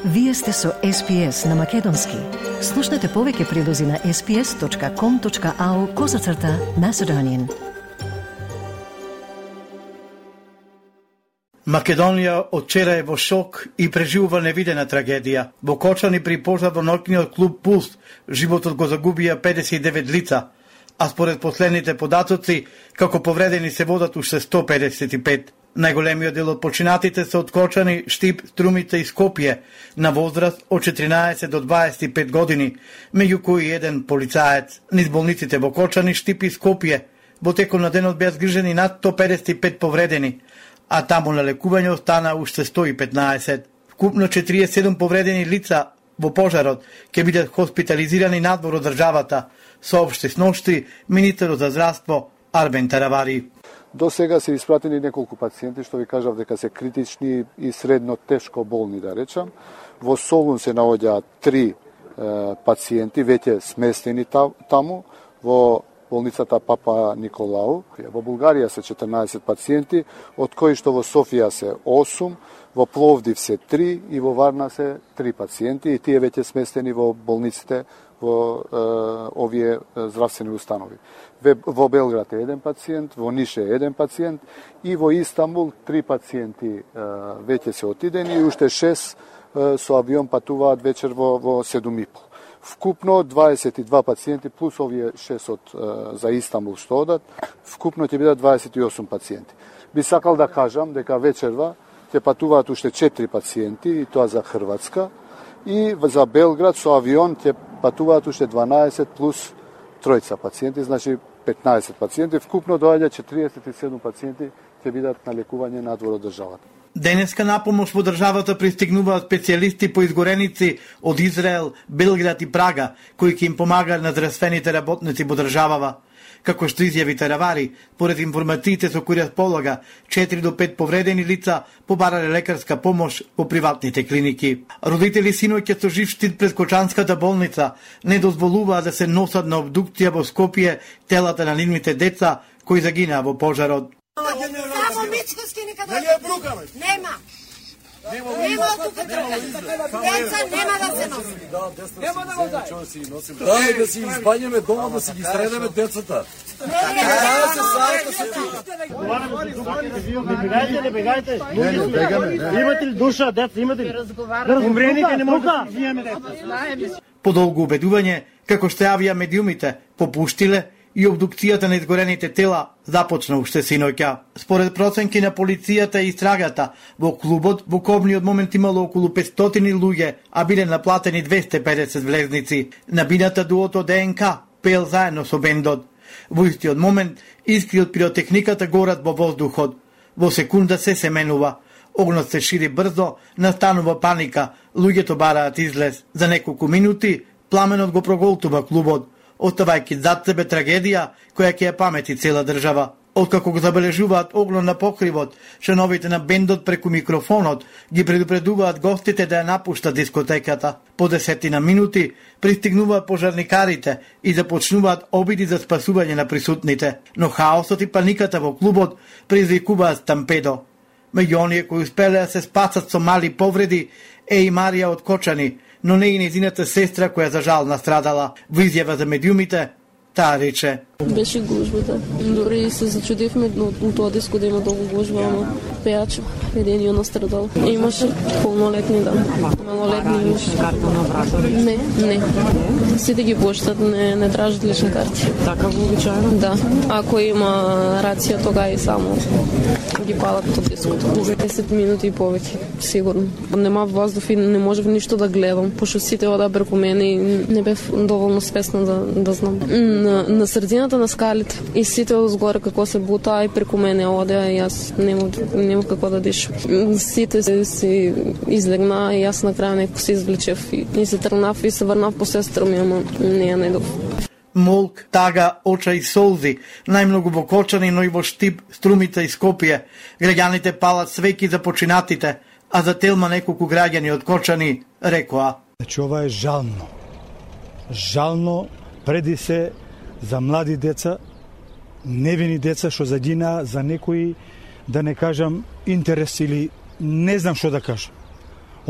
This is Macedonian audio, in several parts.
Вие сте со SPS на Македонски. Слушнете повеќе прилози на sps.com.au/Macedonian. Македонија од вчера е во шок и преживува невидена трагедија. Во Кочани при пожар во ноќниот клуб Пулс животот го загубија 59 лица, а според последните податоци, како повредени се водат уште 155. Најголемиот дел од починатите се од Кочани, Штип, Струмица и Скопје, на возраст од 14 до 25 години, меѓу кои еден полицаец. Низ болниците во Кочани, Штип и Скопје во текот на денот беа згрижени над 155 повредени, а таму на лекување остана уште 115. Вкупно 47 повредени лица во пожарот ќе бидат хоспитализирани надвор од државата, соопшти сношти министерот за здравство Арбен Таравари. До сега се испратени неколку пациенти, што ви кажав дека се критични и средно тешко болни, да речам. Во Солун се наоѓаат 3 пациенти, веќе сместени таму, во болницата Папа Николау. Во Булгарија се 14 пациенти, од кои што во Софија се 8, во Пловдив се 3 и во Варна се 3 пациенти, и тие веќе сместени во болниците во овие здравствени установи. Во Белград е 1 пациент, во Ниш е 1 пациент и во Истанбул 3 пациенти веќе се отидени и уште 6 со авион патуваат вечер во 7:30. Вкупно 22 пациенти плюс овие 6 за Истанбул што одат, вкупно ќе бидат 28 пациенти. Би сакал да кажам дека вечерва ќе патуваат уште 4 пациенти, и тоа за Хрватска, и за Белград со авион ќе патуваат уште 12 плюс 3 пациенти, значи 15 пациенти. Вкупно доаѓа 47 пациенти ќе бидат на лекување надвор од државата. Денеска на помош во државата пристигнуваат специјалисти по изгореници од Израел, Белград и Прага, кои ќе им помагаат на здравствените работници во државава. Како што изјави Таравари, поред информациите со кои располага, 4 до 5 повредени лица побарале лекарска помош во приватните клиники. Родители синоќа со жив штит пред Кочанската болница не дозволуваа да се носат на обдукција во Скопје телата на нивните деца кои загинаа во пожарот. Само Мичковски нека дојде. Нема. Нема тука трка. Деца нема да се носи. Нема да го дај. Дај да си избањаме дома, да си ги средеме децата. Не бегајте. Имате ли душа, деца, имате ли? Умрените не може да виеме деца. Подолго убедување, како што јавија медиумите, попуштиле и обдукцијата на изгорените тела започна уште синоќа. Според проценки на полицијата и истрагата, во клубот во кобниот момент имало околу 500 луѓе, а биле наплатени 250 влезници. На бината дуото ДНК пеел заедно со бендот. Во истиот момент искри од пиротехниката горат во воздухот. Во секунда се менува. Огнот се шири брзо, настанува паника, луѓето бараат излез. За неколку минути пламенот го проголтува клубот, оставајќи зад себе трагедија која ќе ја памети цела држава. Откако го забележуваат огнот на покривот, членовите на бендот преку микрофонот ги предупредуваат гостите да ја напуштат дискотеката. По 10 минути пристигнуваат пожарникарите и започнуваат обиди за спасување на присутните, но хаосот и паниката во клубот предизвикуваат стампедо. Меѓу оние кои успеле да се спасат со мали повреди е и Марија од Кочани, но не и незината сестра која за жал настрадала. Во изјава за медиумите, таа рече: Беше гужбата. Дори се зачудивме од тоа диско да има долго гужба, ама пејачо, едениот настрадал. Имаше полнолетни, да. Малолетни имаше. Не. Сите ги поштат, не тражат лични карти. Така вообичаено? Да. Ако има рација, тога и само ги палат од диското. 10 минути и повеќе, сигурно. Нема воздух и не можев ништо да гледам, пошто сите ода преку мене и не бев доволно спесна да знам. На средината на скалите и сите озгоре како се бута и преку мене одеа и јас нема како да дишам. Сите се излегна и јас на крај некој се извлечев и се тргнав и се врнав по сестра ми, ама не ја најдов. Молк, тага, оча и солзи, најмногу во Кочани, но и во Штип, Струмица и Скопје. Граѓаните палат свеки за починатите, а за Телма неколку граѓани од Кочани рекоа: Значи ова е жално. Жално преди се за млади деца, невини деца што загинаа за некои, да не кажам, интерес или не знам што да кажам.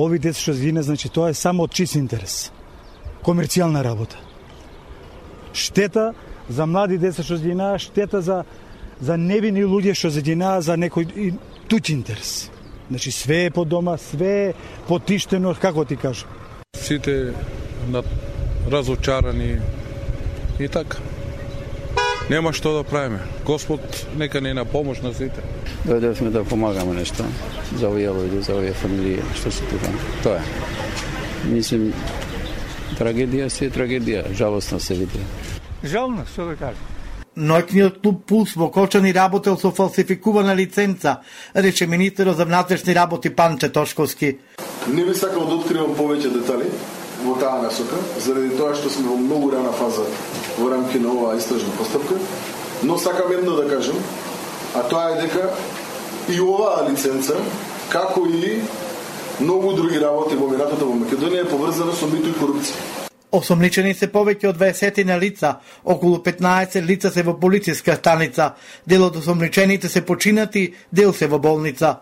Ови деца што загина, значи тоа е само од чист интерес. Комерцијална работа. Штета за млади деца што загина, штета за невини луѓе што загина за некој туѓ интерес. Значи све е по дома, све е потиштено, како ти кажам. Сите разочарани и така. Нема што да правиме. Господ нека не на помош на сите. Дојдовме да помагаме нешто за овие луѓе, за овие фамилии, што се тука. Тоа е. Мислим, трагедија си е трагедија, жалостно се види. Жално, што да кажам. Ноќниот клуб Пулс во Кочани работел со фалсификувана лиценца, рече министерот за внатрешни работи Панче Тошковски. Не би сакал да откривам повеќе детали во таа насока, заради тоа што сме во многу рана фаза во рамки на оваа истражна постапка, но сакам едно да кажам, а тоа е дека и оваа лиценца, како и многу други работи во минатото во Македонија е поврзана со мито и корупција. Осомничени се повеќе од 20 на лица, околу 15 лица се во полициска станица, дел од осомничените се починати, дел се во болница.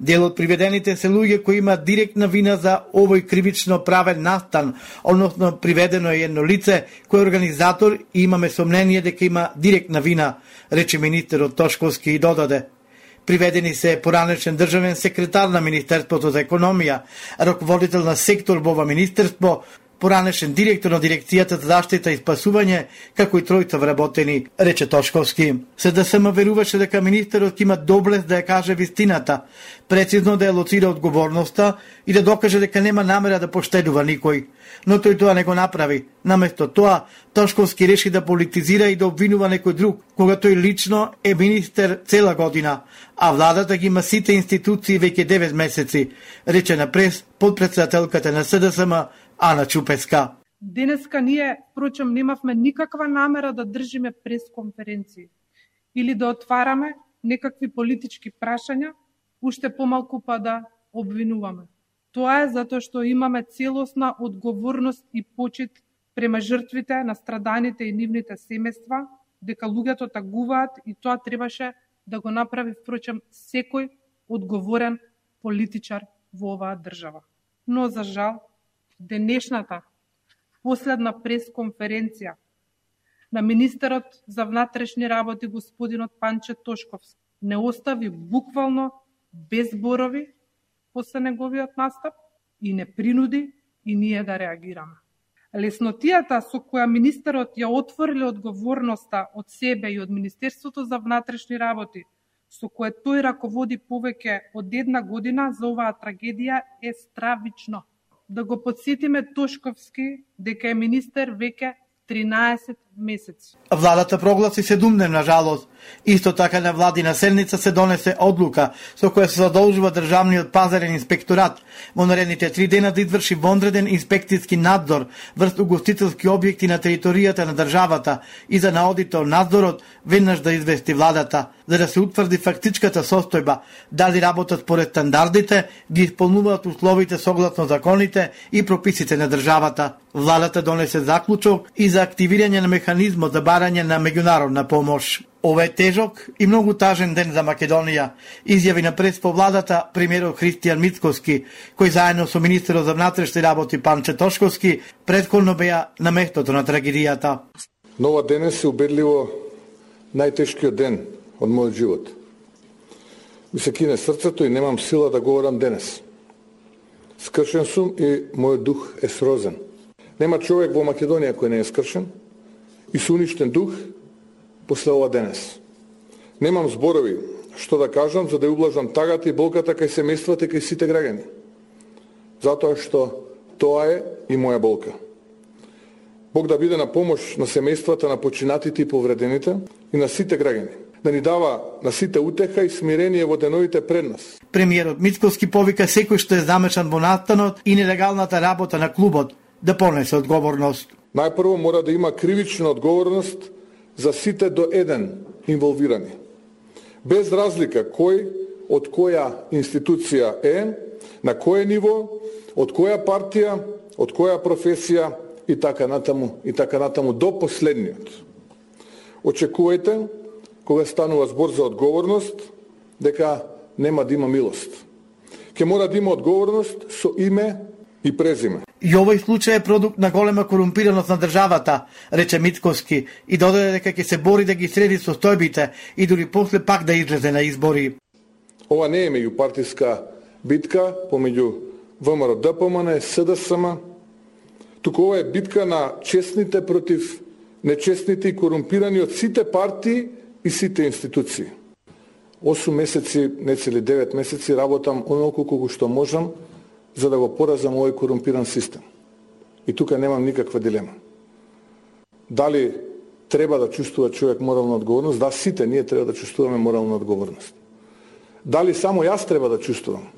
Дел од приведените се луѓе кои имаат директна вина за овој кривично правен настан, односно приведено е едно лице кој е организатор и имаме сомнение дека има директна вина, рече министерот Тошковски и додаде. Приведени се поранешен државен секретар на Министерството за економија, раководител на сектор во ова министерство, поранешен директор на Дирекцијата за заштита и спасување, како и тројца вработени, рече Тошковски. СДСМ веруваше дека министерот има доблест да ја каже вистината, прецизно да ја лоцира одговорноста и да докаже дека нема намера да поштедува никој. Но тој тоа не го направи. Наместо тоа, Тошковски реши да политизира и да обвинува некој друг, кога тој лично е министер цела година, а владата ги има сите институции веќе 9 месеци, рече на прес подпредседателката на СДСМ Ана Чупеска. Денеска ние, впрочем, немавме никаква намера да држиме пресконференции или да отвараме некакви политички прашања, уште помалку па да обвинуваме. Тоа е затоа што имаме целосна одговорност и почит према жртвите на страданите и нивните семејства, дека луѓето тагуваат и тоа требаше да го направи, впрочем, секој одговорен политичар во оваа држава. Но, за жал, денешната последна пресконференција на министерот за внатрешни работи господинот Панче Тошковски не остави буквално без зборови после неговиот настап и не принуди и ние да реагираме. Леснотијата со која министерот ја отворили одговорноста од себе и од Министерството за внатрешни работи, со кое тој раководи повеќе од една година за оваа трагедија е стравично. Да го подсетиме Тошковски дека е министер веќе 13 месеци. Владата прогласи 7-дневна жалост. Исто така на владина седница се донесе одлука со која се задолжува државниот пазарен инспекторат во наредните 3 дена да изврши вонреден инспекцијски надзор врз угостителски објекти на територијата на државата и за наодите надзорот веднаш да извести владата, за да се утврди фактичката состојба, дали работат според стандардите, ги исполнуваат условите согласно законите и прописите на државата. Владата донесе заклучок и за активирање на механизмот за барање на меѓународна помош. Ова е тежок и многу тажен ден за Македонија, изјави на прес по владата премиерот Христијан Мицкоски, кој заедно со министерот за внатрешни работи Панче Тошковски претходно беа на местото на трагедијата. Нова денес е убедливо најтешкиот ден од мојот живот. Ми се кине срцето и немам сила да говорам денес. Скршен сум и мојот дух е срозен. Нема човек во Македонија кој не е скршен и со уништен дух после ова денес. Немам зборови што да кажам за да ублажам тагата и болката кај семејствата и кај сите граѓани. Затоа што тоа е и моја болка. Бог да биде на помош на семејствата на починатите и повредените и на сите граѓани. Да ни дава на сите утеха и смирение во деновите пред нас. Премиерот Мицкоски повика секој што е замешан во настанот и нелегалната работа на клубот да понесе одговорност. Најпрво мора да има кривична одговорност за сите до еден инволвирани. Без разлика кој од која институција е, на кој ниво, од која партија, од која професија и така натаму до последниот. Очекувајте, кога станува збор за одговорност, дека нема да има милост. ќе мора да има одговорност со име и презиме. И овој случај е продукт на голема корумпираност на државата, рече Мицкоски, и додаде дека ќе се бори да ги среди состојбите и дури после пак да излезе на избори. Ова не е меѓупартиска битка помеѓу ВМРО, ДПМН, СДСМ, туку ова е битка на честните против нечестните и корумпирани од сите партии и сите институции. 8 месеци, не цели 9 месеци, работам онолку колку што можам за да го поразам овој корумпиран систем. И тука немам никаква дилема. Дали треба да чувствува човек морална одговорност? Да, сите ние треба да чувствуваме морална одговорност. Дали само јас треба да чувствувам?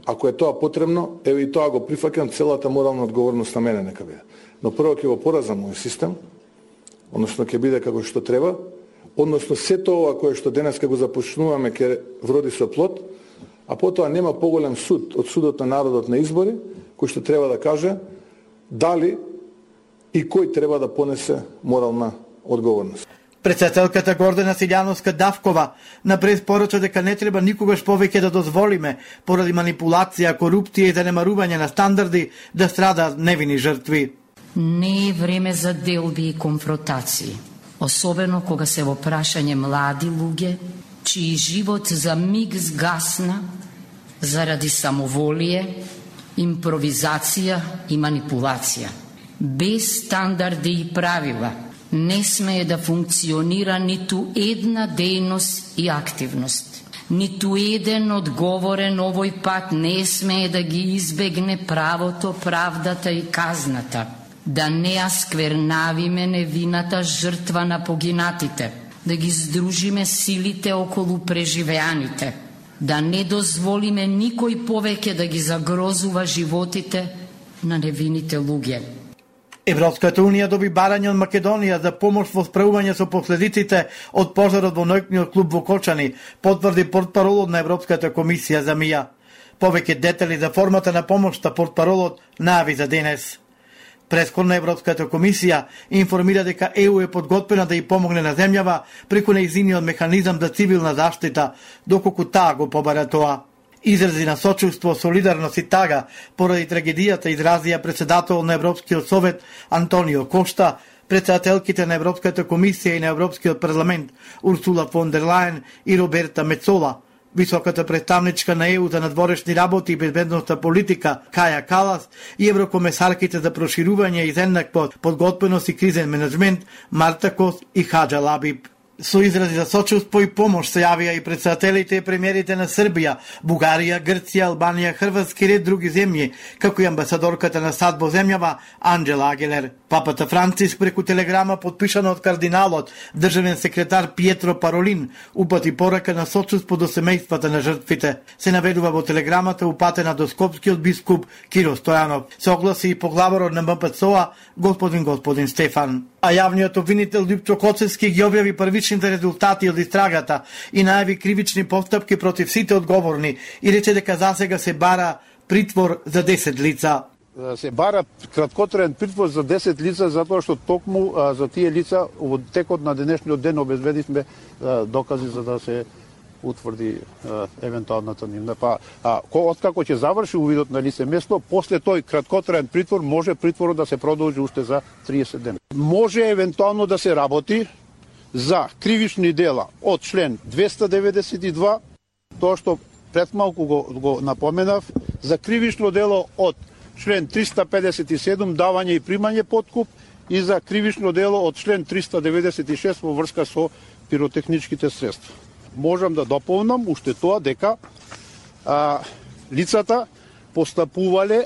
Ако е тоа потребно, еве и тоа го прифаќам, целата морална одговорност на мене нека биде. Но прво ќе го поразам овој систем, односно ќе биде како што треба, односно сето ова кое што денеска го започнуваме ќе вроди со плод, а потоа нема поголем суд од судот на народот на избори, кој што треба да каже дали и кој треба да понесе морална одговорност. Председателката Гордана Силјановска-Давкова напред порача дека не треба никогаш повеќе да дозволиме поради манипулација, корупција и занемарување на стандарди да страдаат невини жртви. Не е време за делби и конфронтации, особено кога се во прашање млади луѓе, чиј живот за миг згасна заради самоволие, импровизација и манипулација. Без стандарди и правила не смее да функционира ниту една дејност и активност. Ниту еден одговорен овој пат не смее да ги избегне правото, правдата и казната. Да не ја сквернавиме невината жртва на погинатите, да ги здружиме силите околу преживеаните, да не дозволиме никој повеќе да ги загрозува животите на невините луѓе. Европската унија доби барање од Македонија за помош во справување со последиците од пожарот во ноќниот клуб во Кочани, потврди портпаролот на Европската комисија за МИА. Повеќе детали за формата на помошта портпаролот најави за денес. Прескорна Европската комисија информира дека ЕУ е подготвена да ја помогне на земјава преку нејзиниот механизам за цивилна заштита, доколку таа го побара тоа. Изрази на сочувство, солидарност и тага поради трагедијата изразија председател на Европскиот совет Антонио Кошта, председателките на Европската комисија и на Европскиот парламент Урсула фон дер Лајен и Роберта Мецола, високата представничка на ЕУ за надворешни работи и безбедностна политика Каја Калас и еврокомесарките за проширување и еднаква подготвеност и кризен менеджмент Марта Кос и Хаджа Лабиб. Со изрази за сочувство и помош се јавија и председателите и премиерите на Србија, Бугарија, Грција, Албанија, Хрватска и ред други земји, како и амбасадорката на САД во земјава Анджела Агелер. Папата Франциск преку телеграма подпишана од кардиналот, државен секретар Пиетро Паролин, упати порака на сочувство до семејствата на жртвите. Се наведува во телеграмата упатена до скопскиот бискуп Киро Стојанов. Се огласи и поглаварот на МПЦО господин Стефан. А јавниот обвинител Лјупчо Коцевски ги објави првичните резултати од истрагата и најави кривични постапки против сите одговорни и рече дека засега се бара притвор за 10 лица. Се бара краткотраен притвор за 10 лица затоа што токму за тие лица во текот на денешниот ден обезбедивме докази за да се утврди евентуалната нивна. Откако ќе заврши увидот на лице место, после тој краткотраен притвор може притворот да се продолжи уште за 30 дена. Може евентуално да се работи за кривични дела од член 292, тоа што предмалку го напоменав, за кривично дело од член 357 давање и примање подкуп и за кривично дело од член 396 во врска со пиротехничките средства. Можам да дополнам уште тоа дека лицата постапувале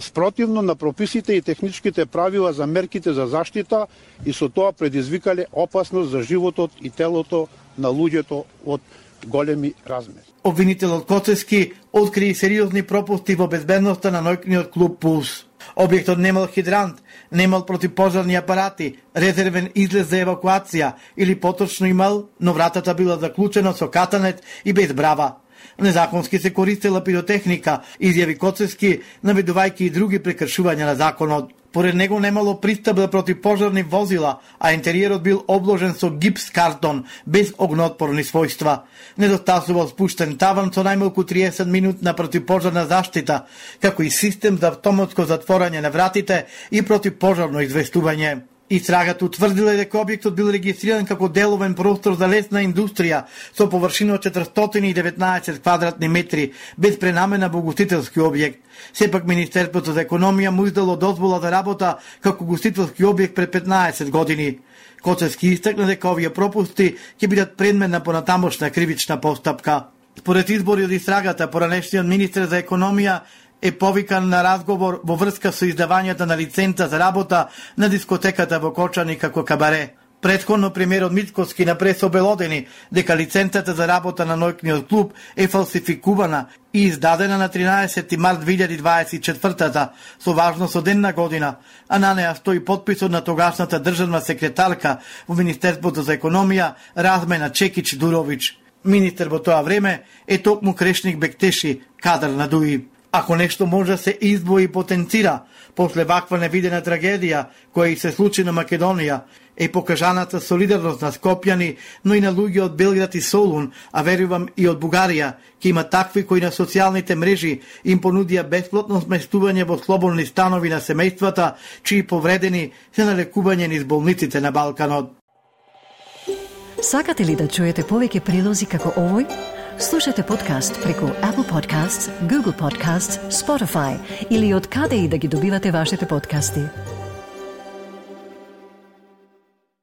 спротивно на прописите и техничките правила за мерките за заштита и со тоа предизвикале опасност за животот и телото на луѓето од големи размери. Обвинителот Коцевски откри сериозни пропусти во безбедноста на ноќниот клуб Пулс. Објектот немал хидрант, немал противпожарни апарати, резервен излез за евакуација или поточно имал, но вратата била заклучена со катанет и без брава. Незаконски се користела пиротехника, изјави Коцевски, наведувајќи и други прекршувања на законот. Поред него немало пристап за противпожарни возила, а интериерот бил обложен со гипс картон, без огнеотпорни својства. Недостасувал спуштен таван со најмалку 30 минутна противпожарна заштита, како и систем за автоматско затворање на вратите и противпожарно известување. Истрагата утврдила дека објектот бил регистриран како деловен простор за лесна индустрија со површина од 419 квадратни метри, без пренамена во гостителски објект. Сепак Министерството за економија му издало дозвола за работа како гостителски објект пред 15 години. Коцевски истакна дека овие пропусти ќе бидат предмет на понатамошна кривична постапка. Според избори од истрагата, поранешниот министер за економија е повикан на разговор во врска со издавањето на лиценца за работа на дискотеката во Кочани како кабаре. Претходно премиерот Мицкоски на прес обелодени дека лиценцата за работа на ноќниот клуб е фалсификувана и издадена на 13 март 2024 со важност од една година, а на неа стои потписот на тогашната државна секретарка во Министерството за економија Размена Чекич-Дуровиќ. Министер во тоа време е токму Крешник Бектеши, кадар на ДУИ. Ако нешто може да се издвои и потенцира после ваква невидена трагедија која и се случи на Македонија, е покажаната солидарност на скопјани, но и на луѓе од Белград и Солун, а верувам и од Бугарија, ке има такви кои на социјалните мрежи им понудија бесплатно сместување во слободни станови на семејствата, чии повредени се на лекување низ болниците на Балканот. Сакате ли да чуете повеќе прилози како овој? Слушате подкаст преку Apple Podcasts, Google Podcasts, Spotify или од каде и да ги добивате вашите подкасти.